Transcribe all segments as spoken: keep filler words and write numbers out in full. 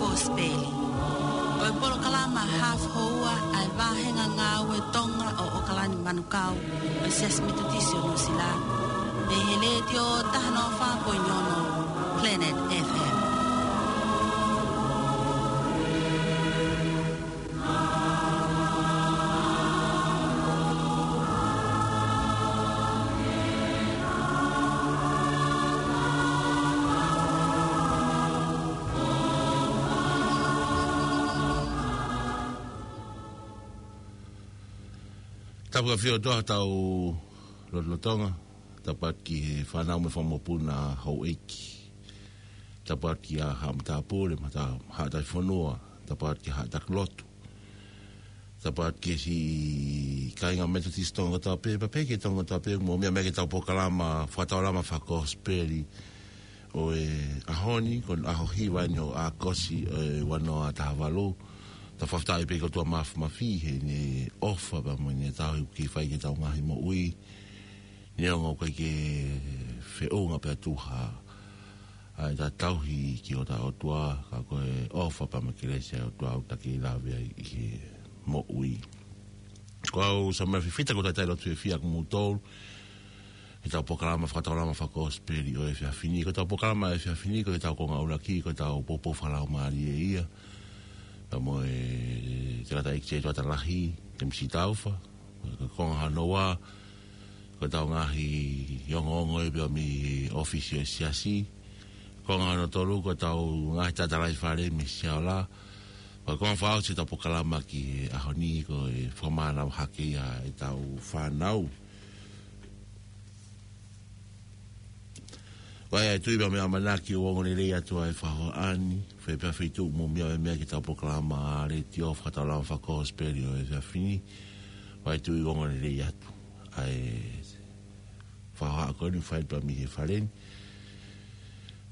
Kosipeli. Ko e polokalama hafu houa ʻa e vāhenga ngāue Tonga ʻo ʻOkalani Manukau ʻo e Siasi Metotisi ʻo Nuʻusila. Mei he Letiō taha noa fā poini ono Planet F M. Tapu ʻa e ʻafio ʻa hotau lotolotonga, tapu atu ki he fānau mo e fanga mokopuna houʻeiki. Tapu atu kia Haʻa Matāpule, mo Haʻa Taifonua, tapu atu ki Haʻa Takilotu. Tapu atu ki he siʻi kāinga Metotisi Tonga kotoa pē, pea pehē ki he Tonga kotoa pē, mou meʻa mai ki heʻetau polokalama fakataulama fakakosipeli ʻo e ʻaho ni, ko e ʻaho hiva eni ʻo ʻAokosi ʻo e ua noa taha valu. Tau fakafetaʻi pē ki he ʻOtua Māfimafi heʻene ʻofa pea mo ʻene tauhi ʻoku kei fai ki heʻetau ngaahi moʻui. Neongo ʻoku ʻikai ke feʻunga pea tuha ʻa e tauhi ki hotau ʻOtua, ka ko e ʻofa pea mo e kelesi ʻa e ʻOtua ʻoku ta kei lave ai ʻi he moʻui. Ko au Samuela Fifita, ʻoku ou talitali lotu fiefia kimoutolu heʻetau polokalama fakataulama fakakosipeli ʻo e efiafi ni. Ko ʻetau polokalama efiafi ni, ko ʻetau konga ʻuluaki, ko ʻetau poupou fakalaumālie ia pea mo e tangataʻeiki Setuata Lahi, Temisi Taufa. Ko e konga hono ua, ko ʻetau ngaahi ongoongo ia pea mei he ʻōfisi ʻo e siasi. Konga hono tolu, ko ʻetau ngaahi tatalaifale mei Siaola. Ko e konga fakaʻosi ʻetau polokalama ki he ʻaho ni, ko e fakamānava hake ia ʻetau fānau. ʻOku ʻi ai ʻa e tui pea mo e ʻamanaki ʻoku ongoongolelei atu ʻa e faʻahinga ni, fē pea fē tuʻu mo mia e meʻa ki heʻetau polokalama letiō fakataulama fakakosipeli ʻo e efiafi ni. ʻOku ʻi ai ʻa e tui ʻoku ongoongolelei atu ʻa e faʻahinga ko eni ʻoku fai pē mei he fale ni.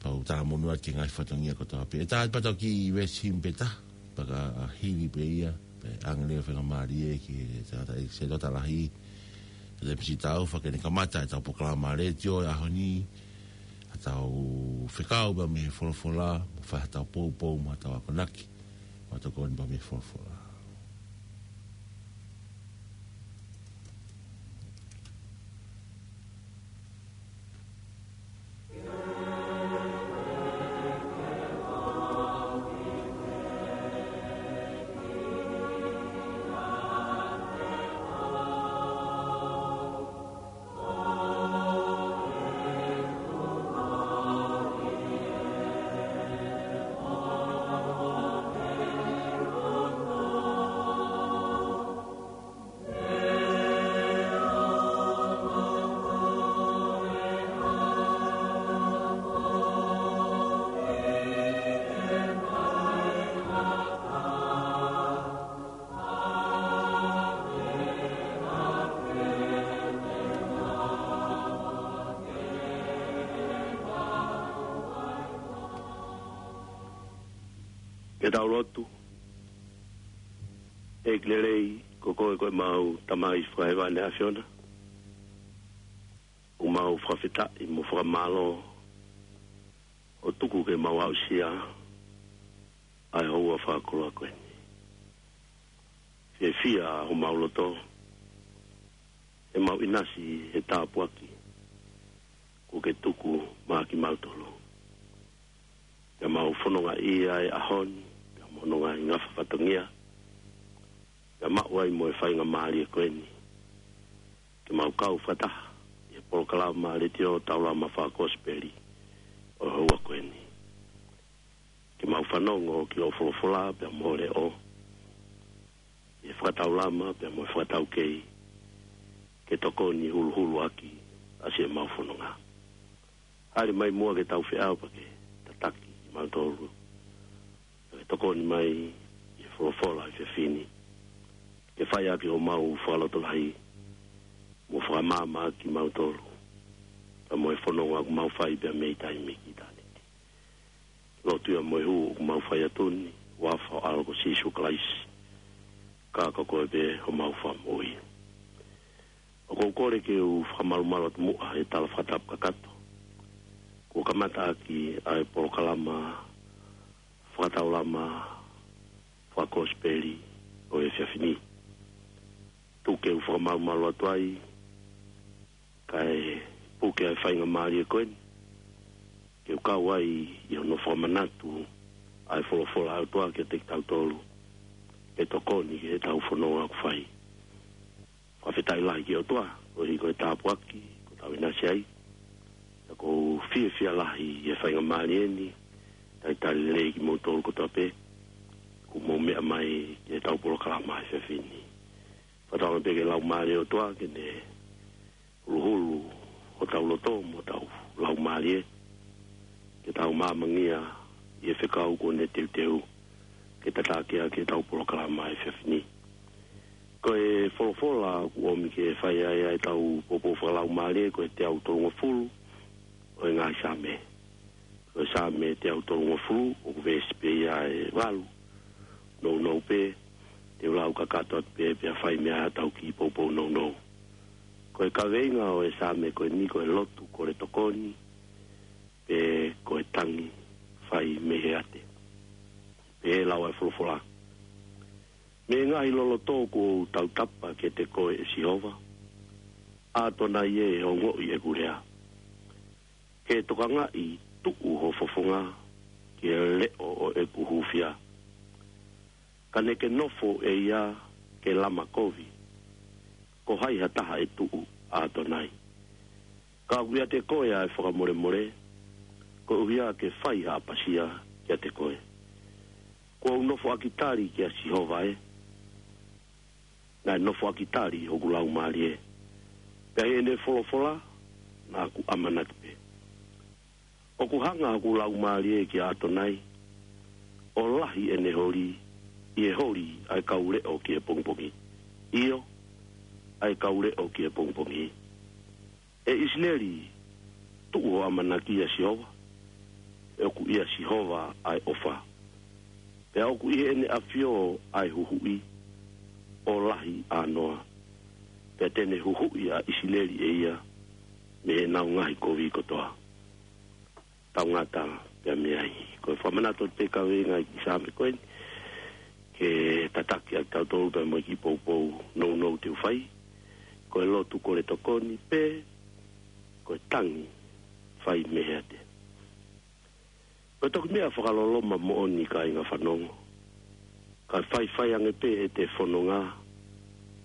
Pea u talamonū atu ki he ngaahi fatongia kotoa pē. ʻE tā pē ʻetau kiʻi veesi himi pē taha, pea ka hili pē ia, pea ʻange leva faingamālie ki he tangataʻeiki Setuata Lahi, Temisi Taufa, ke ne kamata ʻetau polokalama letiō ʻo e ʻaho ni, ʻetau fekau pea mei he folofola, mo fai haʻatau poupou, mo haʻatau akonaki, mo e tokoni pea mei he folofola. Ke tau lotu. ʻEiki lelei, ko koe ko ʻemau Tamai fakahēvani ʻa e ʻAfiona. ʻOku mau fakafetaʻi mo fakamālō ʻo tuku ke mau aʻusia ʻa e houa fakakoloa ko eni. Fiefia homau loto, ʻemau ʻinasi he tāpuaki kuo ke tuku maʻa kimautolu. Pea mau fononga ʻi he ʻaho ni, pea mo hono ngaahi ngafa fatongia, pea maʻu ai mo e faingamālie ko eni ke mau kau fakataha ʻi he polokalama letiō taulama fakakosipeli ʻo e houa ko eni. Ke mau fanongo ki hoʻo folofola pea mo ho leʻo, ʻi he fakataulama pea mo e fakataukei, ke tokoni huluhulu ʻaki ʻa siʻemau fononga. Hāʻele mai muʻa ke tau feʻao pea ke tataki kimautolu, pea ke tokoni mai ʻi he folofola ʻi he efiafi ni, ke fai ʻaki homau fakalotolahi, mo fakamaama ʻaki kimautolu pea mo e fononga ʻoku mau fai pea mei taimi ki ʻitāniti. Lotu ia mo e hū ʻoku mau fai atu ni, huafa ho ʻAlo ko Sīsū Kalaisi, ka ko koe pē homau Fakamoʻui. ʻOku ou kole ke u fakamalumalu atu muʻa he tala fakatapu kakato kuo kamata ʻaki ʻa e polokalama fakataulama fakakosipeli ʻo e efiafi ni. Tuku ke u fakamalumalu atu ai, kae puke ʻa e faingamālie ko eni, ke u kau ai ʻi hono fakamanatu ʻa e folofola ʻa e ʻOtua kiate kitautolu, ke tokoni ki heʻetau fononga ʻoku fai. Fakafetaʻi lahi ki he ʻOtua, koeʻuhi ko e tāpuaki kuo tau ʻinasi ai. Pea ʻoku ou fiefia lahi ʻi he faingamālie ni, talitali lelei kimoutolu kotoa pē kuo mou meʻa mai ki heʻetau polokalama he efiafi ni. Fakatauange pē ki he Laumālie ʻo e ʻOtua ke ne huluhulu hotau loto mo hotau laumālie, ke tau maamangia ʻi he fekau kuo ne teuteu ke tataki ʻaki ʻetau polokalama he efiafi ni. Ko e folofola ʻoku ʻomi ke fai ai ʻetau poupou fakalaumālie ko e teau tolungofulu ʻo e ngaahi Saame. Ko e Saame teau tolungofulu, ʻoku veesi pē ia ʻe valu. Nounou pē, te u lau kakato atu pē pea fai mei ai haʻatau kiʻi poupou nounou. Ko e kaveinga ʻo e Saame ko eni ko e lotu kole tokoni, pe ko e tangi fai mei he ate. Pehē ʻa e lau ʻa e folofola: Mei he ngaahi loloto kuo u tautapa kiate koe, ʻe Sihova, ʻAtonai ē, ongoʻi ʻeku lea. Ke tokangaʻi tuʻu ho fofonga ki he leʻo ʻo ʻeku hūfia. Ka ne ke nofo ʻe ia ke lama kovi. Ko hai ha taha ʻe tuʻu, ʻAtonai? Ka ʻoku ʻiate koe ʻa e fakamolemole, koeʻuhi ke fai ha ʻapasia kiate koe. Kuo u nofoʻaki tali kia Sihova ē, naʻe nofoʻaki tali hoku laumālie. Pea ʻi heʻene folofola, naʻa ku ʻamanaki pē. ʻOku hanga hoku laumālie kia ʻAtonai, ʻo lahi ʻene holi, ʻi he holi ʻa e kau leʻo ki he pongipongi. ʻIo, ʻa e kau leʻo ki he pongipongi. ʻE ʻIsileli, tuʻu ho ʻamanaki ʻia Sihova, he ʻoku ʻia Sihova ʻa e ʻofa. Pea ʻoku ʻi heʻene ʻafio ʻa e huhuʻi, ʻo lahi ʻānoa. Pea te ne huhuʻi ʻa ʻIsileli ʻe ia mei heʻenau ngaahi kovi kotoa. Tau ngata pea mei ai. Ko e fakamanatu atu pē kaveinga ʻi he Saame ko eni, ke tataki ʻaki kitautolu pea mo e kiʻi poupou nounou te u fai, ko e lotu kole tokoni pe ko e tangi fai mei he ate. Ko e toki meʻa fakaloloma moʻoni, kāinga fanongo, ka faifai ange pē ʻete fononga,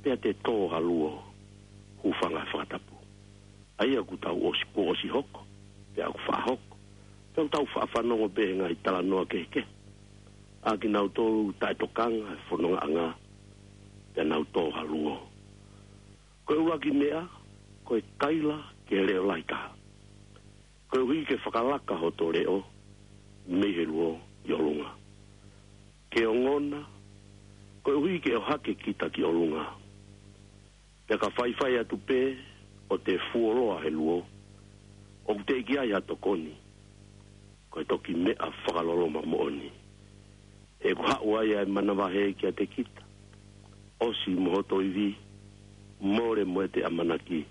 pea te tō ha luo, hūfanga he fakatapu. ʻA ia kuo tau ʻosi, kuo ʻosi hoko, pea ʻoku faʻa hoko, pea ʻoku tau faʻa fanongo pē he ngaahi talanoa kehekehe ʻa kinautolu taʻetokanga he fonongaʻanga, pea nau tō ha luo. Ko e ʻuluaki meʻa, ko e kaila ki he leʻo lahi taha. Koeʻuhi ke fakalaka hoto leʻo mei he luo ki ʻolunga. Ke ongona, koeʻuhi ke ʻohake kita ki ʻolunga. Pea ka faifai atu pē ʻo te fuoloa he luo, ʻoku teʻeki ai ha tokoni. Ko e toki meʻa fakaloloma moʻoni. He ʻoku haʻu ai ʻa e manavahē kiate kita, ʻosi mo hoto ivi, mole mo ʻete ʻamanaki.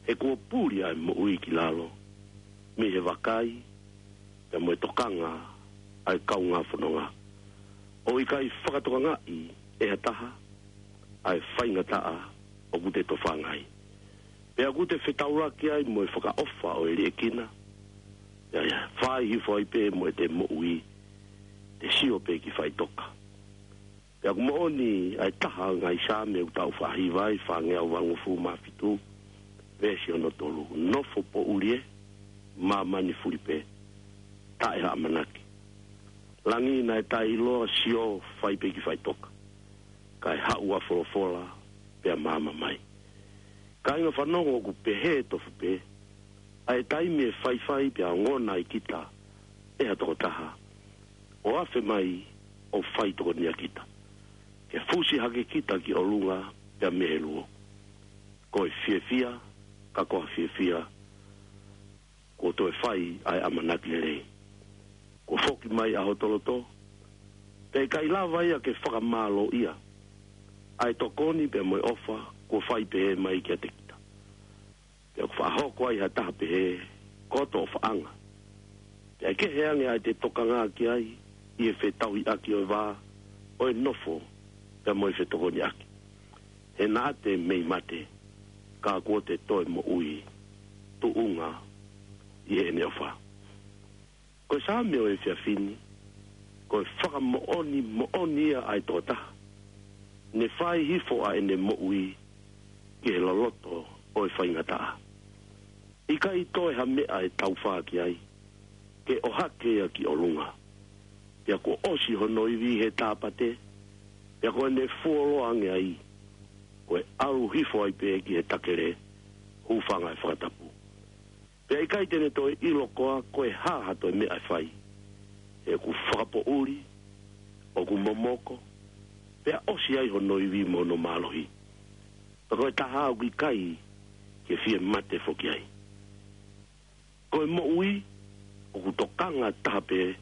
He kuo puli ʻa e moʻui ki lalo, mei he vakai, pea mo e tokanga ʻa e kaungā fononga. ʻOku ʻikai fakatokangaʻi ʻe ha taha ʻa e faingataʻa ʻoku te tofanga ai. Pea ʻoku te fetaulaki ai mo e fakaʻofa ʻo e liʻekina, pea ia fai hifo ai pē mo ʻete moʻui, te sio pē ki faʻitoka. Pea ʻoku moʻoni ʻa e taha ʻo e ngaahi Saame ʻoku tau faʻa hiva ai, fāngeau valungofulu mā fitu, veesi ono tolu: Nofo poʻuli ē, māmani fuli pē, taʻe ha ʻamanaki. Langi naʻe taʻeʻiloa, sio, fai pē ki faʻitoka. Kae haʻu ʻa folofola, pea maama mai. Kāinga fanongo, ʻoku pehē tofu pē ʻa e taimi ʻe faifai pea ongona ai kita ʻe ha tokotaha, ʻo afe mai ʻo fai tokonia kita, ke fusi hake kita ki ʻolunga pea mei he luo. Ko e fiefia, ka ko ha fiefia kuo toe fai ʻa e ʻamanaki lelei. Kuo foki mai ʻa hoto loto, pea ʻikai lava ia ke fakamālōʻia ʻa e tokoni pea mo e ʻofa kuo fai pehē mai kiate kita. Pea ʻoku faʻa hoko ai ha taha pehē, ko hoto ʻofaʻanga. Pea ʻe kehe ange ʻa ʻete tokanga ki ai, ʻi he fetauhiʻaki ʻo e vā ʻo e nofo pea mo e fetokoniʻaki. He naʻa te mei mate, ka kuo te toe moʻui, tuʻunga ʻi heʻene ʻofa. Ko e Saame ʻo e efiafi ni, ko e fakamoʻoni moʻoni ia ʻa e tokotaha ne fai hifo ʻa ʻene moʻui ki he loloto ʻo e faingataʻa. ʻIkai toe ha meʻa ʻe taufā ki ai, ke ʻohake ia ki ʻolunga. Pea kuo ʻosi hono ivi he tāpate, pea ko ʻene fuoloa ange ai, ko e ʻalu hifo ai pē ki he takele, hūfanga he fakatapu. Pea ʻikai te ne toe ʻilo koā ko e hā ha toe meʻa ʻe fai. He ʻoku fakapoʻuli, ʻoku momoko, pea ʻosi ai hono ivi mo hono mālohi. Pea ko e taha ʻoku ʻikai ke fie mate foki ai. Ko e moʻui, ʻoku tokanga taha pē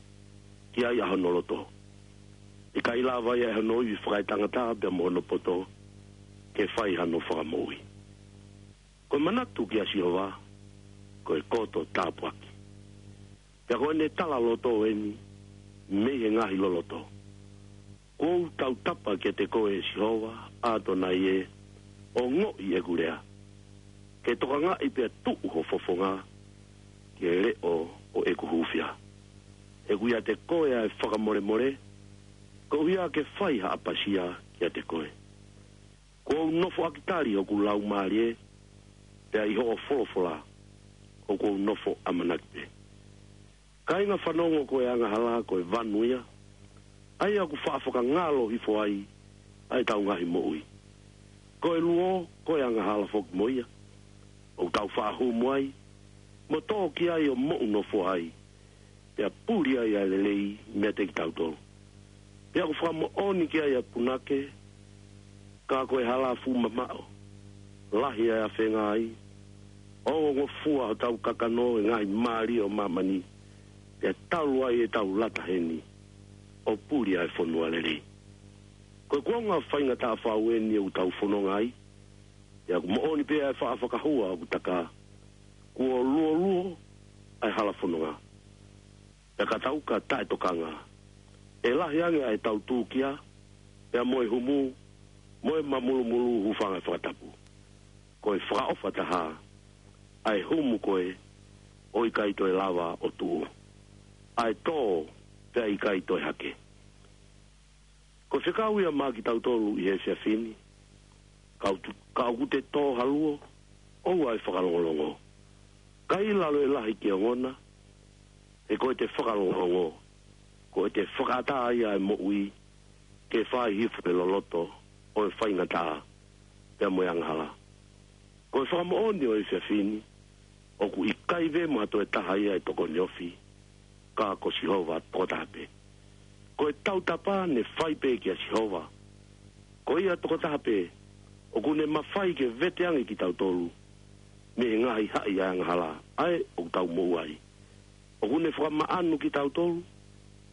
ki ai ʻa hono loto. ʻIkai lava ia ʻe hono ivi fakaetangata pea mo hono poto, ke fai hano fakamoʻui. Ko e manatu kia Sihova, ko e koto tāpuaki. Pea ko ʻene tala loto eni, mei he ngaahi loloto. Kuo u tautapa kiate koe ʻe Sihova, ʻAtonai ē, ongoʻi ʻeku lea. Ke tokangaʻi pea tuʻu ho fofonga, ki he leʻo ʻo ʻeku hūfia. He ʻoku ʻiate koe ʻa e fakamolemole, koeʻuhi ke fai ha ʻapasia kiate koe. Kuo u nofoʻaki tali hoku laumālie, pea ʻi hoʻo folofola, ʻoku ou nofo ʻamanaki pē. Kāinga fanongo, ko e angahala ko e vanu ia, ʻa ia ʻoku faʻa fakangalo hifo ai ʻa ʻetau ngaahi moʻui. Ko e luo, ko e angahala foki mo ia, ʻoku tau faʻa humu ai, mo tō ki ai ʻo moʻunofo ai, pea puli ai ʻa e lelei meiate kitautolu. Pea ʻoku fakamoʻoni ki ai ʻa e punake, ka ko e hala fuʻu mamaʻo, lahi ʻa e afenga ai, ongongofua hotau kakano ʻi he ngaahi mālie ʻo māmani, pea talu ai ʻetau lata heni, ʻo puli ʻa e fonua lelei. Ko e kuonga faingataʻa fau eni ʻoku tau fononga ai, pea ʻoku moʻoni pē ʻa e faʻa fakahua ʻoku taka, kuo luoluo ʻa e hala fononga. Pea ka tau ka taʻetokanga, ʻe lahi ange ʻa ʻetau tūkia, pea mo e humu, mo e mamulumulu, hūfanga he fakatapu. Ko e fakaʻofa taha, ʻa e humu ko ē, ʻo ʻikai toe lava ʻo tuʻu. ʻA e tō, pea ʻikai toe hake. Ko e fekau ia maʻa kitautolu ʻi he efiafi ni, ka ʻoku te-, ka ʻoku te tō ha luo, ʻoua ʻe fakalongolongo. Ka ʻi lalo ʻe lahi ke ongona, he ko ʻete fakalongolongo, ko ʻete fakaʻatā ia ʻa e moʻui, ke fai hifo he loloto ʻo e faingataʻa, pea mo e angahala. Ko e fakamoʻoni ʻo e efiafi ni, ʻoku ʻikai vemo ha toe taha ia ʻe tokoni ofi, ka ko Sihova tokotaha pē. Ko e tautapa ne fai pē kia Sihova. Ko ia tokotaha pē, ʻoku ne mafai ke vete ange kitautolu, mei he ngaahi haʻi ʻa e angahala, ʻa ē ʻoku tau moʻua ai. ʻOku ne fakamaʻanu kitautolu,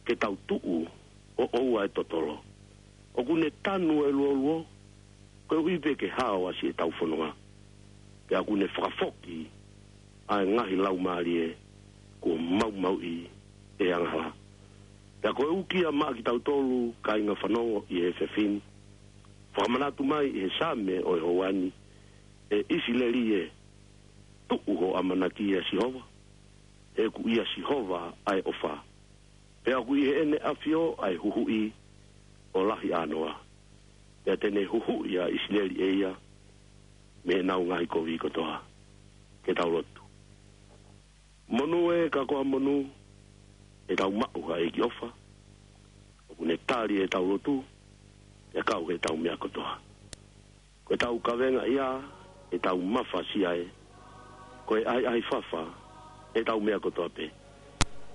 ke tau tuʻu, ʻo ʻoua ʻe totolo. ʻOku ne tanu ʻa e luoluo, koeʻuhi pē ke hao ʻa siʻetau fononga. Pea ʻoku ne fakafoki, ʻa e ngaahi laumālie, kuo maumauʻi ʻe he angahala. Pea ko e uki ia maʻa kitautolu, kāinga fanongo ʻi he efiafi ni. Fakamanatu mai ʻi he Saame ʻo e houa ni, ʻE ʻIsileli ē, tuʻu hoʻo ʻamanaki ʻia Sihova, he ʻoku ʻia Sihova ʻa e ʻofa. Pea ʻoku ʻi heʻene ʻafio ʻa e huhuʻi ʻo lahi ʻānoa. Pea te ne huhuʻi ʻa ʻIsileli ʻe ia, mei heʻenau ngaahi kovi kotoa. Ke tau lotu. Monū ē ka ko ha monū, ʻetau maʻu ha ʻEiki ʻofa. ʻOku ne tali ʻetau lotu, pea kau heʻetau meʻa kotoa. Ko ʻetau kavenga ia, ʻetau mafasia ē. Ko e ʻahiʻahi fafa, ʻetau meʻa kotoa pē.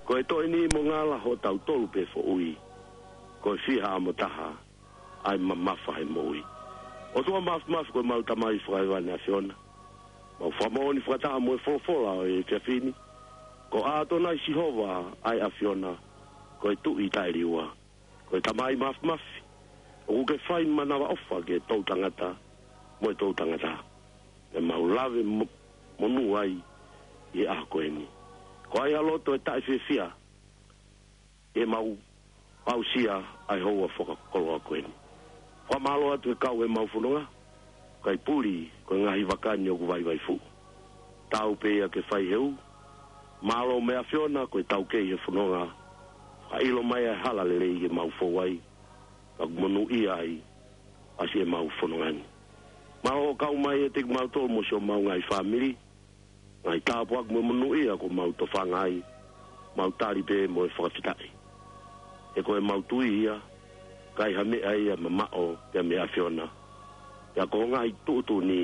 Ko e toʻe niʻihi mo ngala hotau tolu pē foʻui. Ko e fiha ʻa mo taha, ʻa e mamafa he moʻui. ʻOtua Māfimafi, ko ʻemau Tamai fakahēvani ʻAfiona. Mau fakamoʻoni fakataha mo e folofola ʻo e efiafi ni. Ko ʻAtonai Sihova ʻa e ʻAfiona, ko e Tuʻi taʻeliua. Ko e Tamai Māfimafi, ʻoku ke fai manavaʻofa ki he toʻutangata, mo e toʻutangata. Pea mau lave mo-, monū ai ʻi he ʻaho ko eni. Ko ai ha loto ʻe taʻefiefia, ʻemau Aʻusia ʻa e houa fakakoloa ko eni. Fakamālō atu he kau he mau fononga, kae puli ko e ngaahi vaka ni ʻoku vaivai fuʻu. Tau pē ia ke fai he ʻū. Mālō mo e ʻAfiona ko e taukei he fononga. Fakaʻilo mai ʻa e hala lelei ke mau fou ai. Ka ʻoku monūʻia ai ʻa siʻemau fononga ni. Mālō ʻo kau mai ʻiate kimautolu mo siʻomau ngaahi fāmili. Ngaahi tāpuaki mo e monūʻia kuo mau tofanga ai, mau tali pē mo e fakafetaʻi. He ko ʻemau tui ia, ʻikai ha meʻa ia mamaʻo pea mei he ʻAfiona. Pea ko e ngaahi tuʻutuʻuni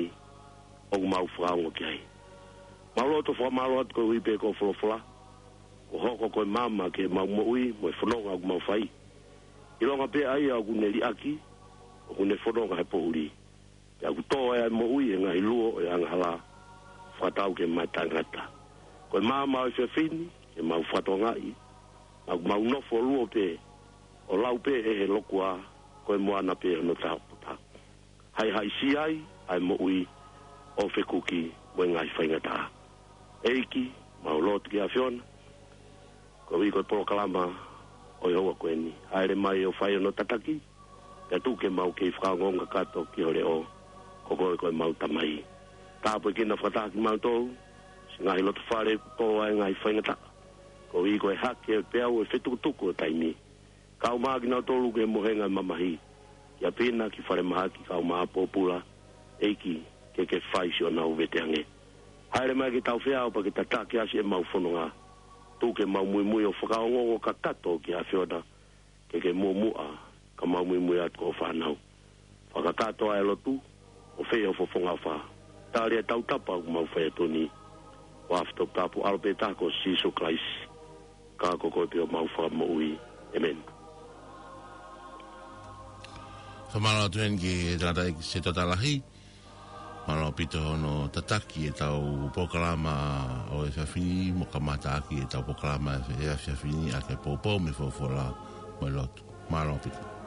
ʻoku mau fakaongo ki ai. Mau loto fakamālō atu koeʻuhi pē ko e folofola, kuo hoko ko e maama ki heʻemau moʻui mo e fononga ʻoku mau fai. ʻIlonga pē ʻa ia ʻoku ne liʻaki, ʻoku ne fononga he poʻuli. Pea ʻoku tō ai ʻa e moʻui he ngaahi luo ʻo e angahala, fakatau ki he mataʻi tangata. Ko e maama ʻo e efiafi ni, ke mau fakatokangaʻi, ʻoku mau nofo luo pē, ʻo lau pē ʻe he lokua, ko e moana pē hono tāputa. Haʻihaʻisia ai ʻa e moʻui, ʻo fekuki mo e ngaahi faingataʻa. ʻEiki, mau lotu ki he ʻAfiona, koeʻuhi ko e polokalama ʻo e houa ko eni. Hāʻele mai ʻo fai hono tataki, pea tuku ke mau kei fakaongoongo kakato ki ho leʻo, ko koe ko ʻemau Tamai. Tāpuekina fakataha kimautolu, siʻi ngaahi loto fale kuo tō ai e ngaahi faingataʻa, koeʻuhi ko e hake pea ʻoku fetukutuku ʻa e taimi. Kau mai kinautolu ki he mohenga ʻo e mamahi, ki ʻapi na, ki falemahaki, kau mai ʻa e pōpula, ʻEiki, ke ke fai siʻonau vete ange. Hāʻele mai ke tau feʻao pea ke tataki ʻa siʻemau fononga. Tuku ke mau muimui ʻo fakaongoongo kakato ki he ʻAfiona, ke ke muʻomuʻa, ka mau muimui atu ko ho fānau. Fakakakato ʻa e lotu, ʻo fai ho fofonga ʻofa. Tali ʻa e tautapa ʻoku mau fai atu ni. ʻI he huafa toputapu ʻo e ʻAlo pē taha ko Sīsū Kalaisi. Ka ko koe pē homau Fakamoʻui. ʻĒmeni. Fakamālō atu eni ki he tangataʻeiki Setota Lahi. Mālō ʻaupito hono tataki ʻetau polokalama ʻo e efiafi ni, mo kamataʻaki ʻetau polokalama ʻo e efiafi ni ʻaki e poupou mo e folofola mo e lotu. Mālō ʻaupito.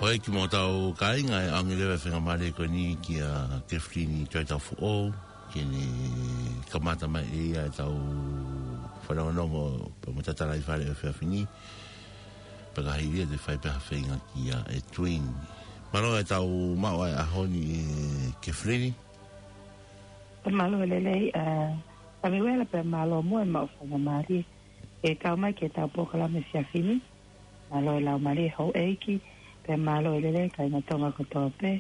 ʻOi, ki mo tau kāinga, ʻe ʻaonga leva e faingamālie ko eni kia Kefilini Toetau Foʻou, ke ne kamata mai ʻe ia ʻetau fanongonongo pea mo e tatalaifale ʻo e efiafi ni. Pea ka hili ia te fai pē ha feinga kia Edwin. Mālō ʻetau maʻu ʻa e ʻaho ni ʻe Kefilini. Mālō e lelei, ʻa, Samiuela, pea mālō mo e maʻu faingamālie ke kau mai ki heʻetau polokalama efiafi ni. Mālō e laumālie houʻeiki, pea mālō e lelei kāinga Tonga kotoa pē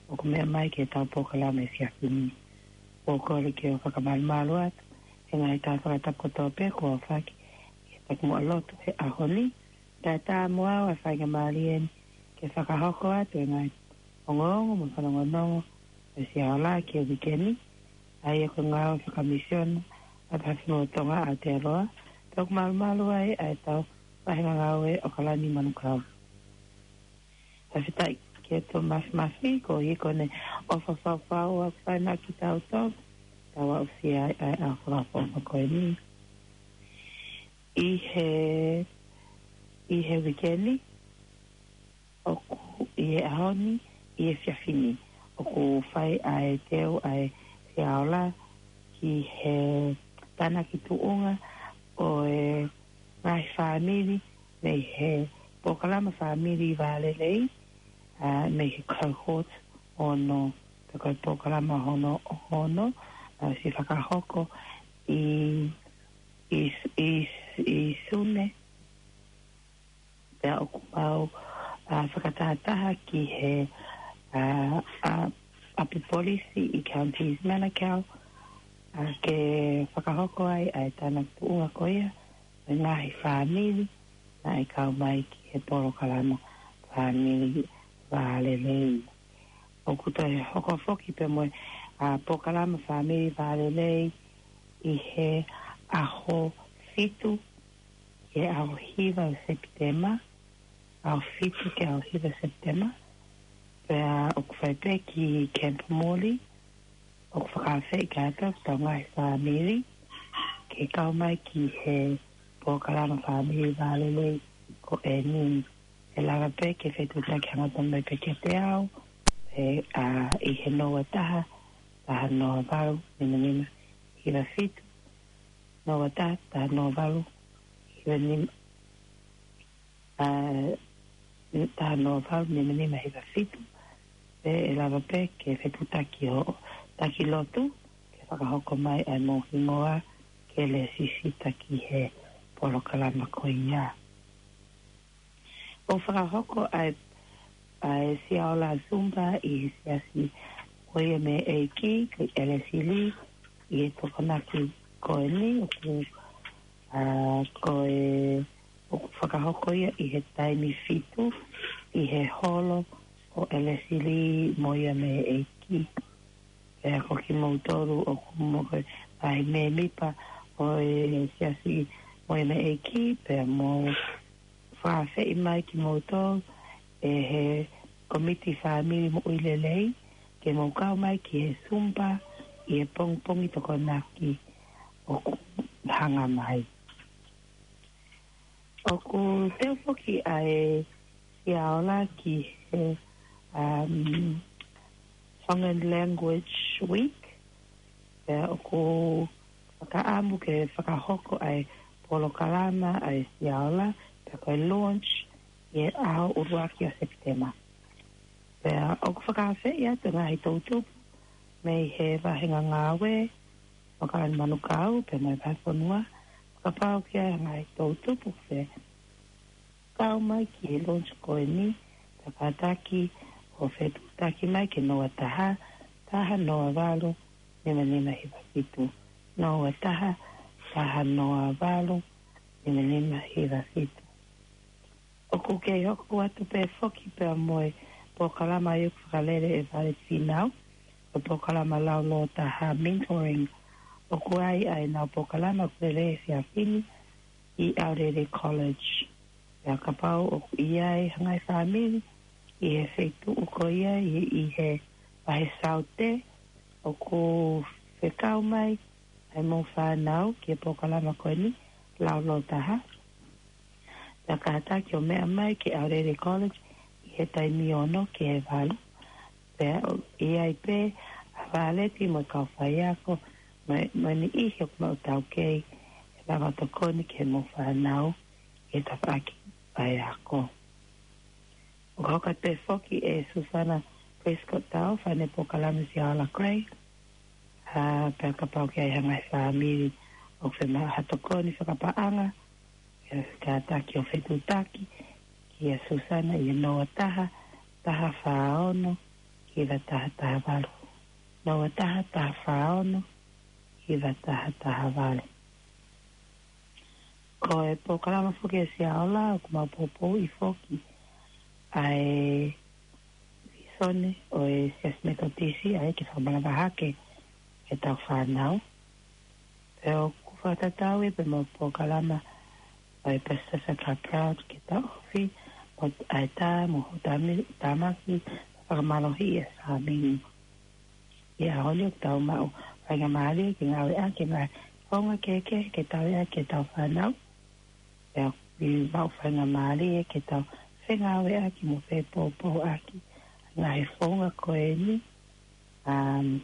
ʻoku meʻa mai ki heʻetau polokalama efiafi ni. ʻOku ou kole ke u fakamalumalu atu he ngaahi tau fakatapu kotoa pē kuo fai ki he takimuʻa lotu he ʻaho ni. Tatā mo au ʻa e faingamālie ni ke fakahoko atu e ngaahi ongoongo mo e fanongonongo ʻa e Siaola ki he uike ni, ʻa ia ko e ngāue fakamisiona ʻa e Vahefonua Tonga ʻAotearoa, pea ʻoku malumalu ai ʻa ʻetau vahenga ngāue ʻAokalani Manukau. Fakafetaʻi kia Tōmasi Mafi, ko ia ko ʻene ʻofa fau ʻoku fai mai kiate kitautolu, tau aʻusia ai ʻa e ʻaho fakaʻofoʻofa ko eni. ʻI he, ʻi he uike ni, ʻoku, ʻi he ʻaho ni, ʻi he efiafi ni, ʻoku fai ʻa e teu ʻa e Siaola ki he tānaki tuʻunga ʻo e ngaahi fāmili mei he polokalama fāmili vālelei, ʻa, mei he cohort ono, pe ko e polokalama hono, hono, ʻa, ʻosi fakahoko ʻi, ʻi, ʻi, ʻi Sune. Pea ʻoku mau, ʻa, fakatahataha ki he, ʻa, ʻa, ʻapi polisi ʻi Counties Manukau, ʻa, ke fakahoko ai ʻa e tānaki tuʻunga ko ia ʻo e ngaahi fāmili naʻe kau mai ki he polokalama fāmili vālelei. ʻOku toe hoko foki pē mo e, ʻa, polokalama fāmili vālelei ʻi he ʻaho fitu, ki he ʻaho hiva ʻo Sepitema, ʻaho fitu ki he ʻaho hiva ʻo Sepitema, pea ʻoku fai pē ki Camp Morley, ʻoku fakaafeʻi kātoa ʻetau ngaahi fāmili ke kau mai ki he polokalama fāmili vālelei ko eni. ʻE lava pē ke fetuʻutaki hangatonu mai pē kiate au, ʻe, ʻa, ʻi he noa taha, taha noa valu, nima nima hiva fitu, noa taha, taha noa valu, hiva nima, ʻa, taha noa valu, nima nima hiva fitu, pea ʻe lava pē ke fetuʻutaki hoʻo taki lotu, ke fakahoko mai ʻa e mo hingoa ke lēsisita ki he polokalama ko ia. ʻOku fakahoko ʻa e, ʻa e Siaola Zumba ʻi he siasi ko ia mei he ʻEiki, ko e Elesili, ʻi he Tokonaki ko eni, ʻoku, ʻa, ko e, ʻoku fakahoko ia ʻi he taimi fitu, ʻi he holo ʻo Elesili mo ia mei he ʻEiki. Pea ko kimoutolu ʻoku mou ko e ngaahi mēmipa ʻo e siasi mo ia mei he ʻEiki, pea mou fakaafeʻi mai kimoutolu ʻe he komiti fāmili moʻui lelei, ke mou kau mai ki he Zumba ʻi he pongipongi Tokonaki ʻoku hanga mai. ʻOku teu foki ʻa e Siaola ki he, um, Tongan Language Week. Pea ʻoku fakaʻamu ke fakahoko ʻa e polokalama ʻa e Siaola, pea ko e launch ʻi he ʻaho ʻuluaki ʻo Sepitema. Pea ʻoku fakaafeʻi atu e ngaahi toʻutupu mei he vahenga ngāue ʻAokalani Manukau, pea mo e vahefonua, kapau ʻoku ʻi ai ha ngaahi toʻutupu fekau mai ki he launch ko eni, pea kātaki ʻo fetuʻutaki mai ki he noa taha, taha noa valu, nima nima hiva fitu. Noa taha, taha noa valu, nima nima hiva fitu. ʻOku kei hoko atu pē foki pea mo e polokalama ʻoku fakalele ʻe Vale Finau, ko e polokalama Laulōtaha Mentoring. ʻOku ʻi ai ʻenau polokalama ʻoku lele he efiafi ni ʻi ʻAorere College. Pea kapau ʻoku ʻi ai ha ngaahi fāmili ʻi he feituʻu ko ia ʻi, ʻi he vahe Saute, ʻoku fekau mai ʻa e mo fānau ki he polokalama ko eni, Laulōtaha. Pea kātaki ʻo meʻa mai ki ʻAorere College ʻi he taimi ono ki he valu. Pea ʻoku ʻi ai pē ʻa Vāleti mo e kau faiako, mo e, mo e niʻihi ʻoku maʻu taukei, ʻe lava tokoni ki he mo fānau, ʻi he tafaʻaki faiako. ʻOku hoko atu pē foki ʻe Susana Prescott Tao, fānau polokalama Sia Ola Gray, ʻa, pea kapau ʻoku ʻi ai ha ngaahi fāmili ʻoku fiemaʻu ha tokoni fakapaʻanga, ʻe kātaki ʻo fetuʻutaki kia Susana ʻi he noa taha, taha fā ono, hiva taha taha valu. Noa taha, taha fā ono, hiva taha taha valu. Ko e polokalama foki ʻa Sia Ola, ʻoku mau poupouʻi foki ʻa e visone ʻo e Siasi Metotisi, ʻa ia ke fakamanava hake ʻetau fānau. Pea ʻoku fakatatau ia pea mo e polokalama ʻa e Pacific Club Proud ke taʻofi, mo ʻAita, mo Hutami, Tamaki, fakamālohi ʻa Sāmini. ʻI he ʻaho ni ʻoku tau maʻu faingamālie ke ngāueʻaki e ngaahi founga kehekehe ke tauʻi ʻaki ʻetau fānau. Pea ʻoku maʻu faingamālie ke tau fengāueʻaki mo fepoupouʻaki e ngaahi founga ko eni, um,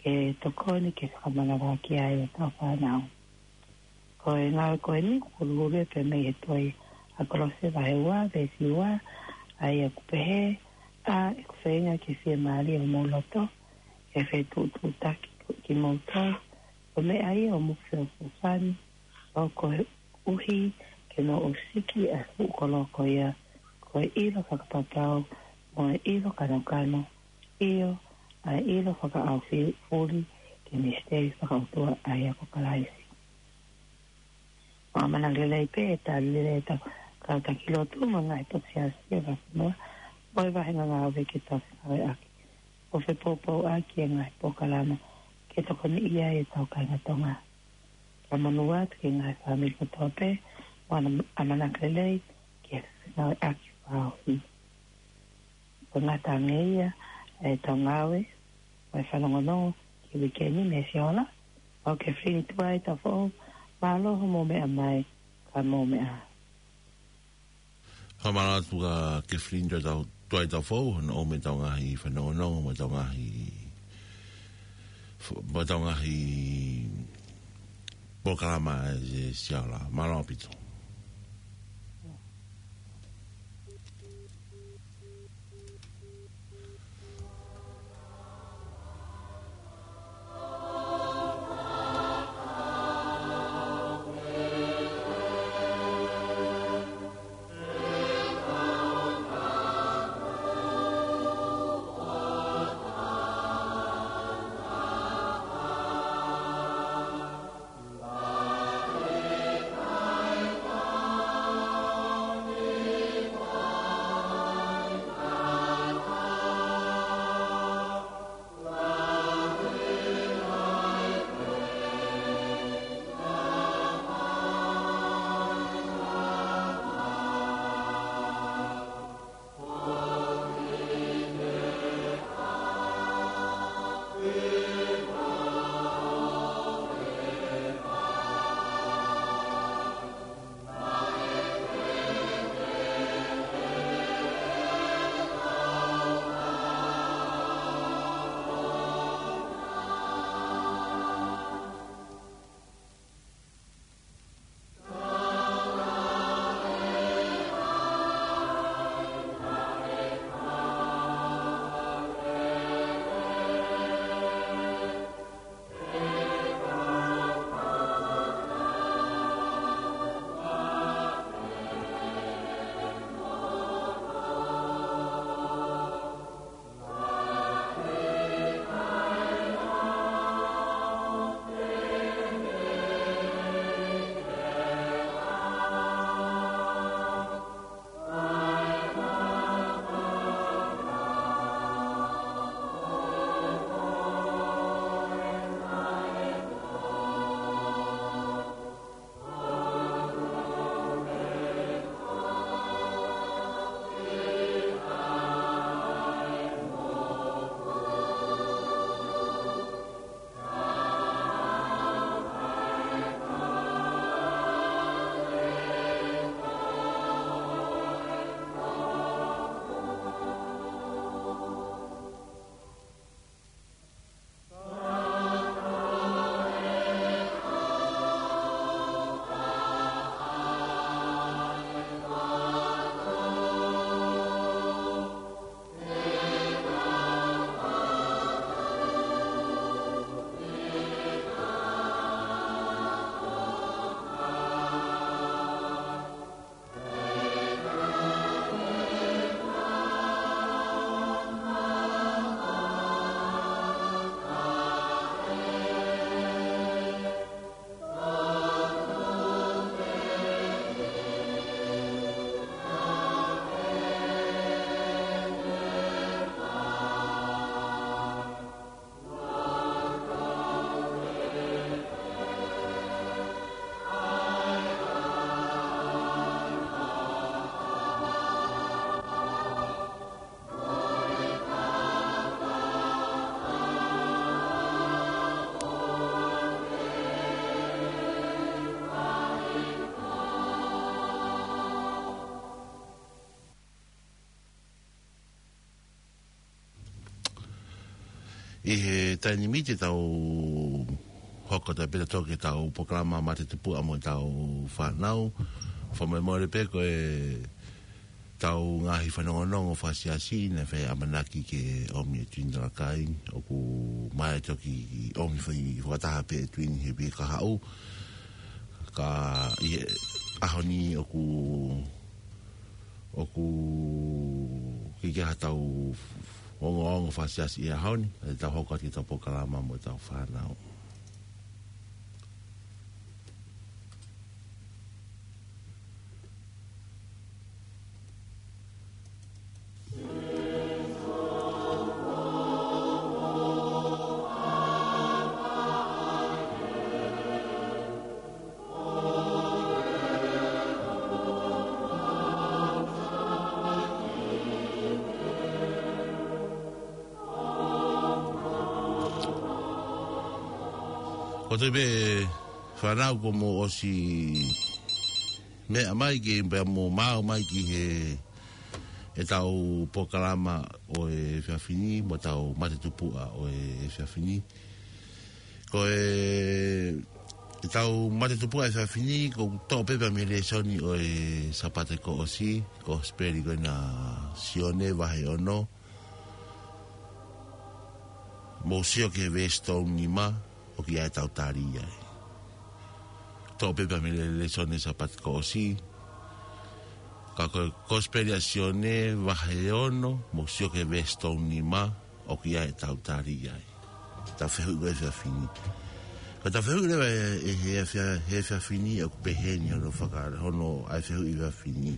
ke tokoni ke fakamanavahē ai ʻetau fānau. Ko e ngāue ko eni ʻoku huluhulu pē mei he tohi ʻa Kolose vahe ua, veesi ua, ʻa ia ʻoku pehē, ʻa ʻeku feinga ke fiemālie homou loto, ke fetuʻutuʻutaki kimoutolu, ko e meʻa ia ʻoku mou feʻofoʻofani, ʻo koeʻuhi ke mou ʻosiki ʻa e fuʻu kolo ko ia, ko e ʻilo fakapapau, mo e ʻilo kanokano, ʻio, ʻa e ʻilo fakaʻaufuli ki he misiteli fakaʻotua ʻa ia ko Kalaisi. ʻOku ʻamanaki lelei pē ʻe tali lelei ʻetau kau taki lotu mo e ngaahi potu siasi ʻo e vahefonua, mo e vahenga ngāue ke tau fengāueʻaki ʻo fepoupouʻaki e ngaahi polokalama ke tokoniʻi ai ʻetau kāinga Tonga. Kae monū atu ki he ngaahi fāmili kotoa pē, mo ʻenau ʻamanaki lelei ke fengāueʻaki fakaʻaufuli. Ko e ngata ange ia ʻetau ngāue, mo e fanongonongo ki he uike ni mei Sia Ola, ʻa Kefilini Tuʻaitaufoʻou, mālō hoʻomou meʻa mai, ka mou meʻa. Fakamālō atu kia Kefilini Tuʻaitau-, Tuʻaitaufoʻou, hono ʻomai ʻetau ngaahi fanongonongo, mo ʻetau ngaahi, mo ʻetau ngaahi polokalama ʻi Sia Ola. Mālō ʻaupito. ʻI he taimi ni te tau hoko atu pē ʻo toki ʻetau polokalama Mate Tupuʻa mo ʻetau fānau. Fakamolemole pē ko ʻetau ngaahi fanongonongo fakasiasi naʻe fai ʻamanaki ke ʻomi ʻe Tuini Talakai, ʻoku ʻikai toki ʻomi fai fakataha pē ʻe Tuini he uike kahaʻu. Ka ʻi he ʻaho ni ʻoku ʻoku ʻikai ke ʻi ai haʻatau ongoongo fakasiasi he ʻaho ni, te tau hoko atu ki heʻetau polokalama mo ʻetau fānau. Ko e toe pē fānau kuo mou ʻosi meʻa mai ki, pea mou maʻu mai ki he, ʻetau polokalama ʻo e efiafi ni, mo ʻetau Mate Tupuʻa ʻo e efiafi ni. Ko e, ʻetau Mate Tupuʻa efiafi ni, ʻoku toʻo pē mei he lēsoni ʻo e Sāpate kuo ʻosi, Kosipeli ko ena ʻa Sione vahe ono, mou sio ki he veesi tolu nima, ʻoku ʻi ai ʻetau tali ai. Toʻo pē mei he lēsoni Sāpate kuo ʻosi, ka ko e Kosipeli ʻa Sione vahe ono, mou sio ki he veesi tolu nima, ʻoku ʻi ai ʻetau tali ai. Tau fehuʻi ko e efiafi ni. Ko ʻetau fehuʻi leva ʻi he, he efia-, he efiafi ni ʻoku pehē ni hono faka-, hono ʻai fehuʻi efiafi ni.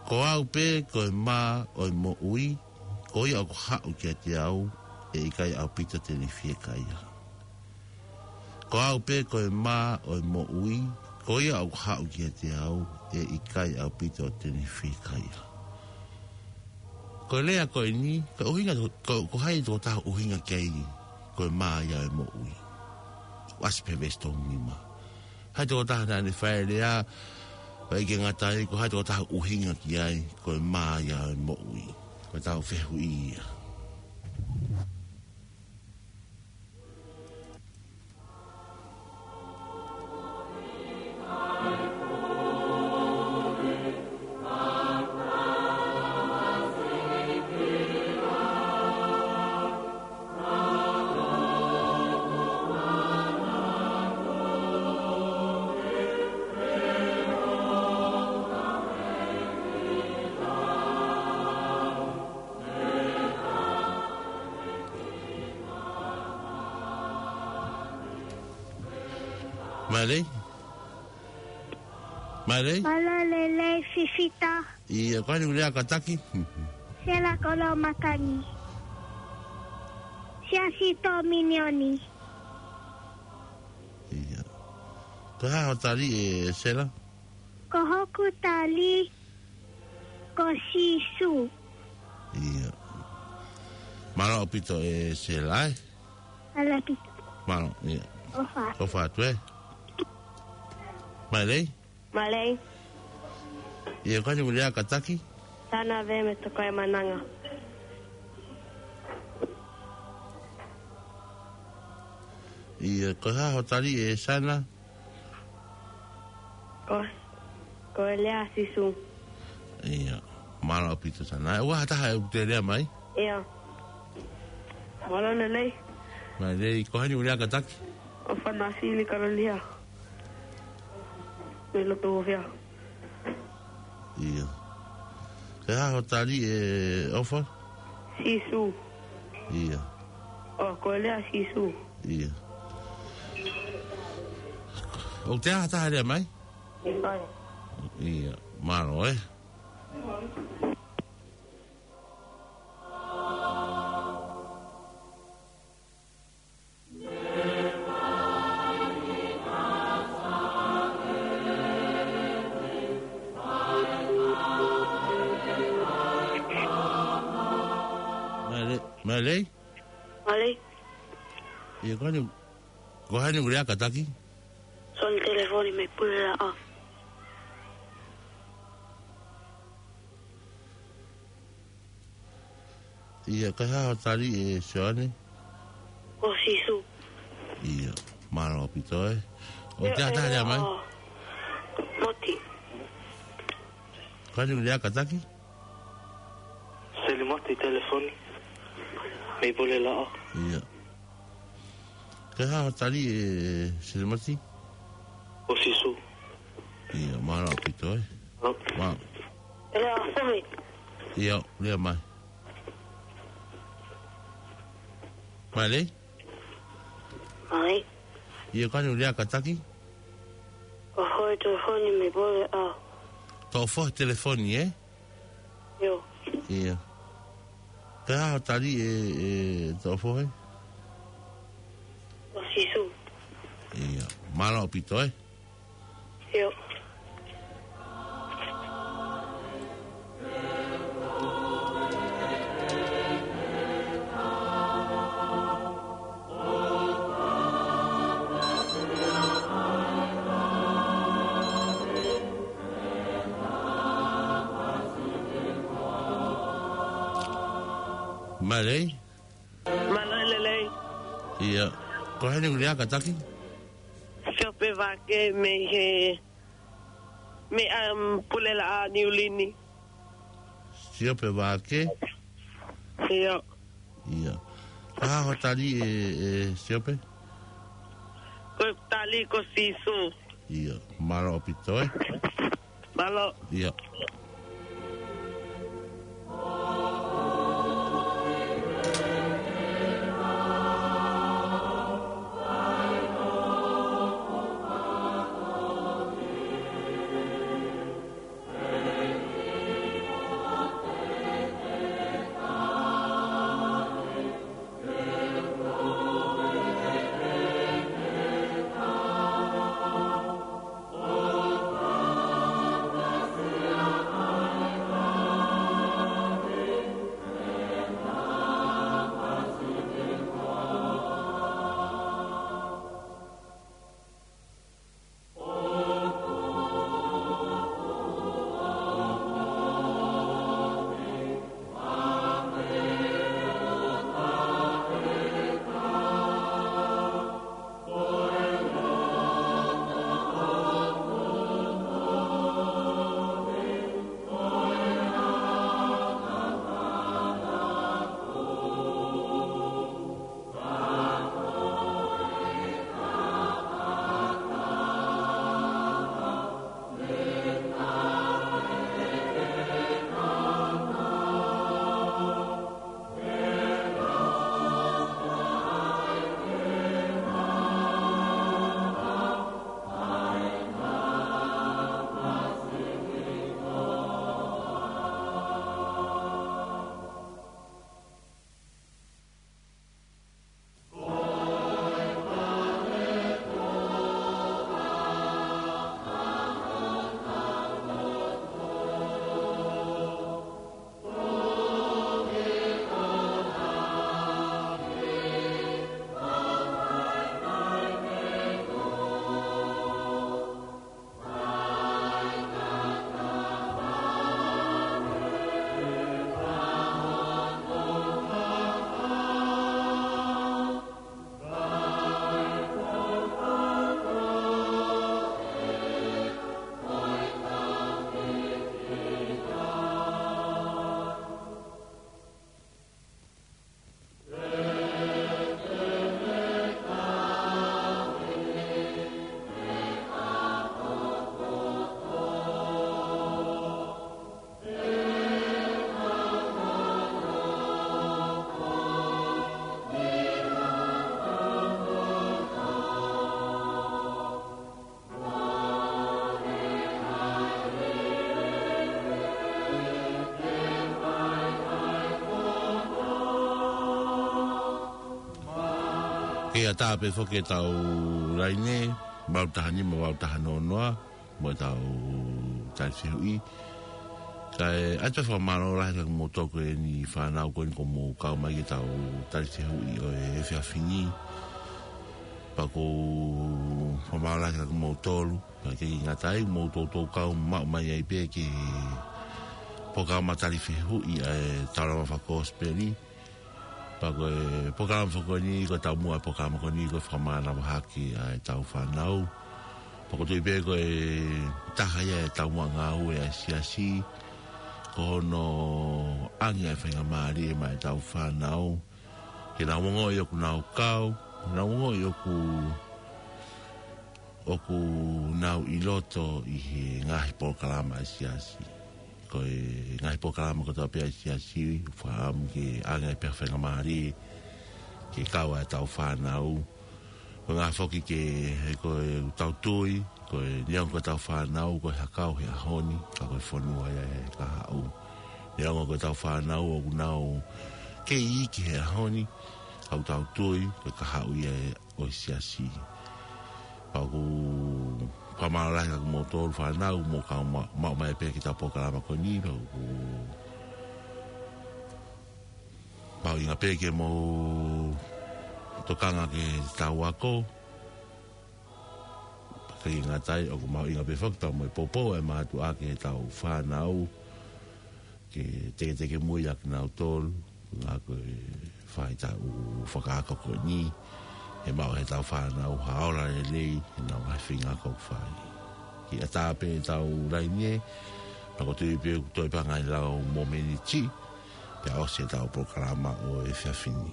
Ko au pē ko e mā ʻo e moʻui, ko ia ʻoku haʻu kiate au, ʻe ʻikai ʻaupito te ne fiekaia. Ko au pē ko e mā ʻo e moʻui, ko ia ʻoku haʻu kiate au, ʻe ʻikai ʻaupito te ne fiekaia. Ko e lea ko eni, ko e ʻuhinga, ko, ko hai tokotaha ʻoku ʻuhinga ki ai, ko e mā ia ʻo e moʻui. ʻOku ʻasi pē he veesi tolu nima. Hai tokotaha naʻa ne fai e lea, ʻikai ke ngata ai, ko hai tokotaha ʻoku ʻuhinga ki ai, ko e mā ia ʻo e moʻui. Ko ʻetau fehuʻi ia. Mālō. Mālō. Mālō e lelei Fifita. ʻIo, ko hai ʻoku lea kātaki? Sela Kolomatangi. Siasi Tōminioni. ʻIo. Ko e hā hoʻo tali ʻe Sela? Ko hoku tali ko Sīsū. ʻIo. Mālō ʻaupito ʻe Sela, ē? Mālō ʻaupito. Mālō, ʻio. ʻOfa. ʻOfa atu, ē? Mālō. Mālō. ʻIo, ko hai ʻoku lea kātaki? Sana Veme Tokai Mananga. ʻIo, ko e hā hoʻo tali ʻe Sana? Ko, ko e lea ʻa Sīsū. ʻIo, mālō ʻaupito Sana. ʻOku ʻi ai ha taha ʻoku te lea mai? ʻIo. Mālō e lelei. Mālō e lelei, ko hai ʻoku lea kātaki? ʻOfa Nafili Kalolia. Mei Lotofia. ʻIo. Ko e hā hoʻo tali ʻe ʻOfa? Sīsū. ʻIo. ʻO, ko e lea ʻa Sīsū. ʻIo. ʻOku ʻi ai ha taha lea mai? ʻIo. ʻIo. Mālō, ē? Mālō, Mālō. Mālō. ʻIo, ko hai, ko hai ʻoku lea kātaki? Soni Telefoni mei Pulelaʻa. ʻIo, ko e hā hoʻo tali ʻe Sioane? Ko Sīsū. ʻIo, mālō ʻaupito ē. ʻOku ʻi ai ha taha lea mai? Moti. Ko eni ʻoku lea kātaki? Selimoti telefoni. Mei Pulelaʻā. ʻIo. Ko e hā hoʻo tali ʻe Selimoti? Ko Sīsū. ʻIo, mālō ʻaupito ē. Mālō. Mālō. Lea foʻi. ʻIo, lea mai. Mālō. Mālō. ʻIo, ko eni ʻoku lea kātaki? Ko Fohe telefoni mei Pulelaʻā. Ko Fohe telefoni, ē? ʻIo. ʻIo. Ko e hā hoʻo tali ʻe, ʻe Toʻofohe? Ko Sīsū. ʻIo. Mālō ʻaupito ē. ʻIo. Mālō. Mālō e lelei. ʻIo. Ko eni ʻoku lea kātaki? Siope Vake mei he, mei, um, Pulelaʻā Niu Lini. Siope Vake? ʻIo. ʻIo. Ko e hā hoʻo tali ʻe, ʻe Siope? Ko e tali ko Sīsū. ʻIo. Mālō ʻaupito ē. Mālō. ʻIo. Ke ʻatā pē foki ʻetau laine, valu taha nima, valu taha noa noa, mo ʻetau tali fehuʻi. Kae ʻoatu e fakamālō lahi kiate kimoutolu ko eni fānau ko eni kuo mou kau mai ki heʻetau tali fehuʻi ʻo e efiafi ni. Pea ʻoku ou fakamālō lahi kiate kimoutolu. Pea ʻikai ke ngata ai, mou toutou kau maʻu mai ai pē ki he polokalama tali fehuʻi ʻa e Taulama Fakakosipeli. Pea ko e polokalama foki ko eni, ko e taumuʻa e polokalama ko eni, ko e fakamānava hake ʻa e tau fānau. Pea ʻoku ou tui pē ko e taha ia e taumuʻa ngāue ʻa e siasi, ko hono ʻange ʻa e faingamālie maʻa e tau fānau ke nau ongoʻi ʻoku nau kau, nau ongoʻi ʻoku, ʻoku nau ʻi loto ʻi he ngaahi polokalama ʻa e siasi. Ko e ngaahi polokalama kotoa pē ʻa e siasi, ʻoku fakaʻamu ke ʻange pē ha faingamālie ke kau ʻa e tau fānau. Ko e ngaahi foki ke, he ko e tau tui, ko e neongo ko e tau fānau ko e hakau he ʻaho ni, ka ko e fonua ia he kahaʻu. Neongo ko e tau fānau ʻoku nau kei iiki he ʻaho ni, ka ʻoku tau tui ko e kahaʻu ia ʻo e siasi. Pea ʻoku ou fakamālō lahi atu kia kimoutolu fānau, mou kau ma-, maʻu mai pē ki he tau polokalama ko eni, pea ʻoku ou mahuʻinga pē ke mou tokanga ki he tau ako. Pea ʻikai ngata ai, ʻoku mahuʻinga pē foki pea mo e poupou ʻa e mātuʻa ki he tau fānau, ke teketeke mui ʻa kinautolu, ʻa ia ko e faʻahitaʻu fakaako ko eni, ʻe maʻu ʻe he tau fānau ha ola lelei ʻi heʻenau ngaahi feinga ʻoku fai. Kiʻi ʻatā pē ʻetau laine, pea ʻoku ou tui pē ʻoku toe pē ha ngaahi lau mōmeniti, pea ʻosi ʻetau polokalama ʻo e efiafi ni.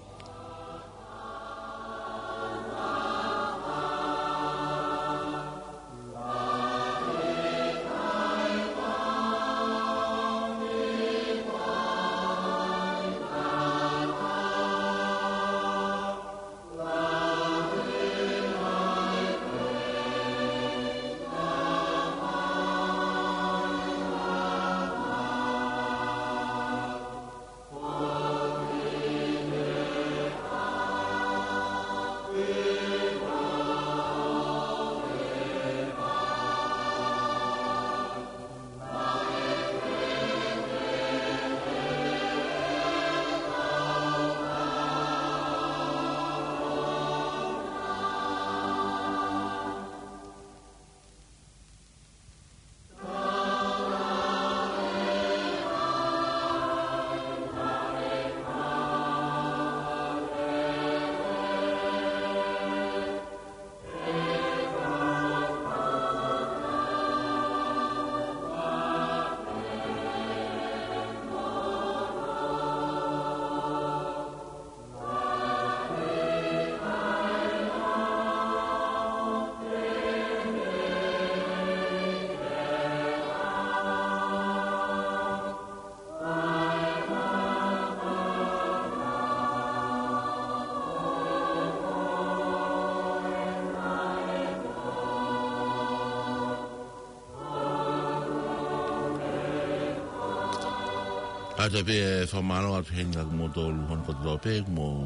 ʻOatu pē e fakamālō atu heni kia kimoutolu hono kotoa pē, mou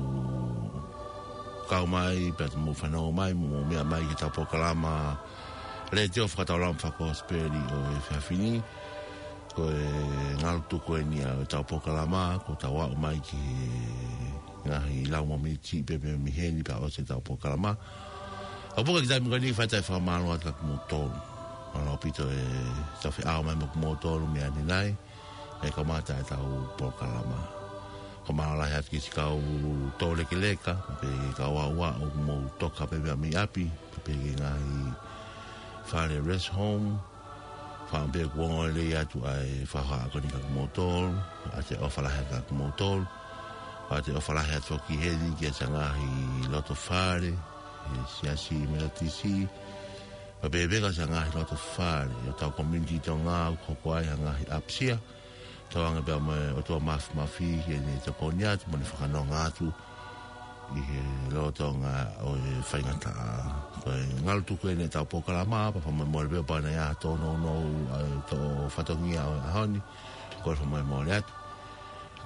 kau mai, pea mou fanongo mai, mou meʻa mai ki he tau polokalama letiō fakataulama fakakosipeli ʻo e efiafi ni. Ko e ngalu tuku eni ʻa e tau polokalama, ko ʻetau aʻu mai ki he ngaahi lau mōmeniti pē mei heni pea ʻosi ʻetau polokalama. ʻOku pau ke kitai muka ni fai ʻa e fakamālō atu kia kimoutolu. Mālō ʻaupito ʻetau feʻao mai mo kimoutolu meia ni nai, mei he kamata ʻetau polokalama. Fakamālō lahi atu ki siʻi kau tōlekeleka, pea mo e kau aʻuaʻu ʻoku mou toka pē meia mei ʻapi, pea mo e ngaahi fale rest home, Fakaʻamu pē kuo ongo lelei atu ʻa e fakahohaʻa ko eni kia kimoutolu, ʻoatu e ʻofa lahi atu kia kimoutolu, ʻoatu e ʻofa lahi atu foki heni ki he ngaahi loto fale ʻa e Siasi Metotisi, pea pehē ki he ngaahi loto fale ʻo e tau community Tonga ʻoku hoko ai ha ngaahi ʻapisia, tauange pea mo e ʻOtua Māfimafi ke ne tokoni atu, mo ne fakanonga atu, ʻi he lolotonga ʻo e faingataʻa. Ko e ngalu tuku eni ʻetau polokalama, pea fakamolemole pē ʻoku ʻi ai ha tōnounou ʻa e tō fatongia ʻo e ʻaho ni, kole fakamolemole atu.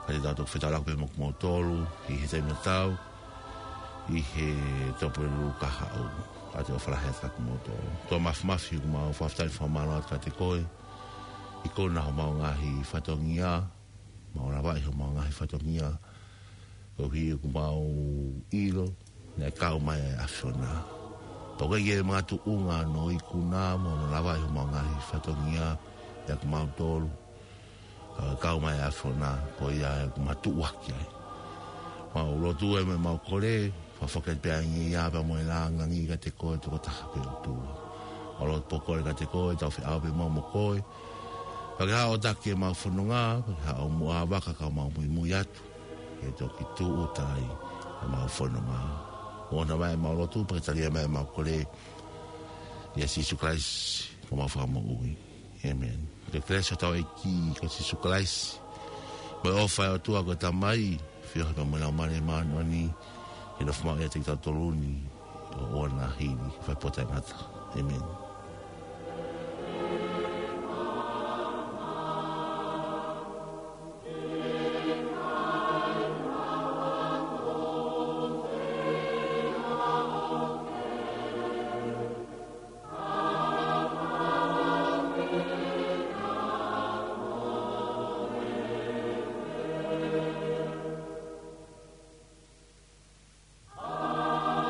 Ka te tau toki fetaulaki pē mo kimoutolu, ʻi he taimi tatau, ʻi he Tuʻapulelulu kahaʻu. ʻOatu e ʻofa lahi atu kia kimoutolu. ʻOtua Māfimafi, ʻoku mau fakafetaʻi mo fakamālō atu kiate koe, ʻi he kuo nau homau ngaahi fatongia, mau lavaʻi homau ngaahi fatongia, koeʻuhi ʻoku mau ʻilo naʻe kau mai ʻa e ʻAfiona. Pea ʻoku ʻikai ke makatuʻunga hono ikuna mo hono lavaʻi homau ngaahi fatongia ʻia kimautolu, ka kau mai ʻa e ʻAfiona, ko ia ʻoku mau tuʻuaki ai. Mau lotu ē mo ʻemau kole, fakafoki atu pē ʻa e ngeia pea mo e lāngilangi kiate koe tokotaha pē ʻOtua. Mau lotu pē ʻo kole kiate koe, tau feʻao pē mau mo koe. Pea ke haʻo taki ʻemau fononga, pea ke haʻo muʻa vaka ka mau muimui atu. Ke toki tūʻuta ai ʻemau fononga. ʻOua naʻa vaivai ʻemau lotu, pea ke tali mai ʻemau kole. ʻIa Sīsū Kalaisi, ko homau Fakamoʻui. ʻĒmeni. Ko e kelesi ʻa hotau ʻEiki ko Sīsū Kalaisi, mo e ʻofa ʻa e ʻOtua ko e Tamai, feohi pea mo e Laumālie Māʻoniʻoni, ke nofo maʻu ʻiate kitautolu ni, ʻo ʻoua naʻa hili, fai pō taʻengata. ʻĒmeni.